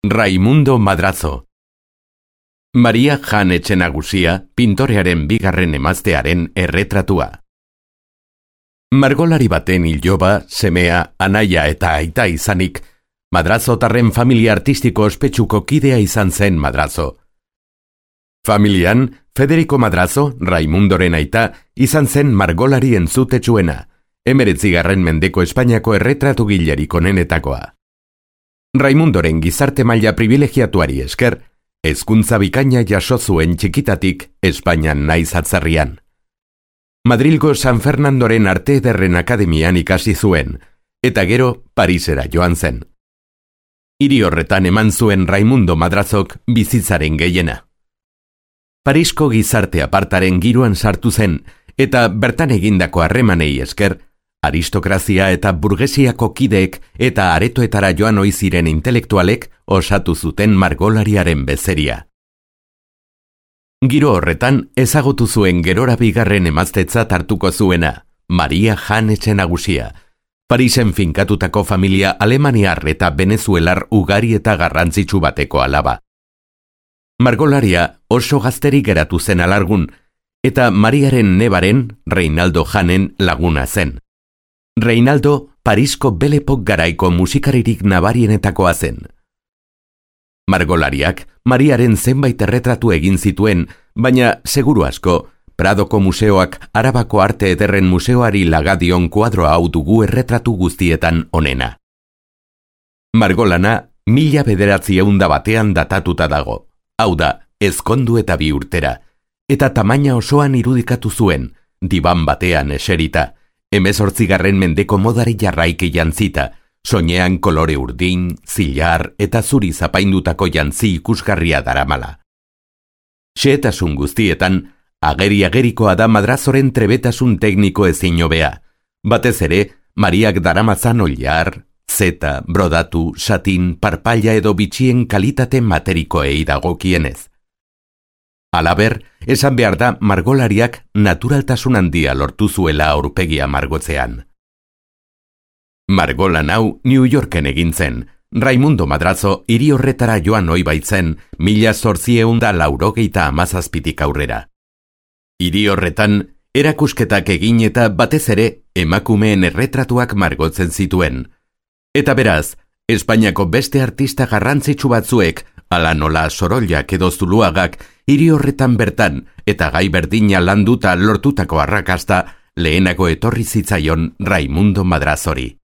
Raimundo Madrazo. Maria Jan Etxenagusia, pintorearen bigarren emaztearen erretratua. Margolari baten iloba, semea, anaia eta aita izanik, Madrazotarren familia artistiko ospetsuko kidea izan zen Madrazo. Familian, Federico Madrazo, Raimundoren aita, izan zen margolari entzutetsuena, 19. mendeko Espainiako erretratugilerik onenetakoa. Raimundoren gizarte maila privilegiatuari esker, hezkuntza bikaina jaso zuen txikitatik Espainian naiz atzerrian. Madrilgo San Fernandoren Arte Ederren Akademian ikasi zuen, eta gero Parisera joan zen. Hiri horretan eman zuen Raimundo Madrazok bizitzaren gehiena. Parisko gizarte apartaren giroan sartu zen, eta bertan egindako harremanei esker, aristokrazia eta burgesiako kideek eta aretoetara joan ohi ziren intelektualek osatu zuten margolariaren bezeria. Giro horretan ezagutu zuen gerora bigarren emaztetzat hartuko zuena, Maria Jan Etxenagusia, Parisen finkatutako familia alemaniar eta venezuelar ugari eta garrantzitsu bateko alaba. Margolaria oso gazterik geratu zen alargun, eta Mariaren nebaren, Reinaldo Janen, laguna zen. Reinaldo, Parisko belepok garaiko musikaririk nabarienetakoa zen. Margolariak Mariaren zenbait erretratu egin zituen, baina seguru asko, Pradoko museoak Arabako Arte Ederren Museoari lagadion kuadroa hau dugu erretratu guztietan onena. Margolana 1901 datatuta dago, hau da, ezkondu eta 2 urtera, eta tamaina osoan irudikatu zuen, diban batean eserita, 18. mendeko modari jarraiki jantzita, soinean kolore urdin, zilar eta zuri zapaindutako jantzi ikusgarria daramala. Xehetasun guztietan, ageri-agerikoa da Madrazoren trebetasun tekniko ezin hobea, batez ere, Mariak daramatzan oilar, zeta, brodatu, satin, parpaila edo bitxien kalitate materikoei dagokienez. Halaber, esan behar da margolariak naturaltasun handia lortu zuela aurpegia margotzean. Margolan hau New Yorken egin zen, Raimundo Madrazo hiri horretara joan ohi baitzen 1897 aurrera. Hiri horretan, erakusketak egin eta batez ere emakumeen erretratuak margotzen zituen. Eta beraz, Espainiako beste artista garrantzitsu batzuek, ala nola Sorollak edo Zuluagak, hiri horretan bertan eta gai berdina landuta lortutako arrakasta lehenago etorri zitzaion Raimundo Madrazori.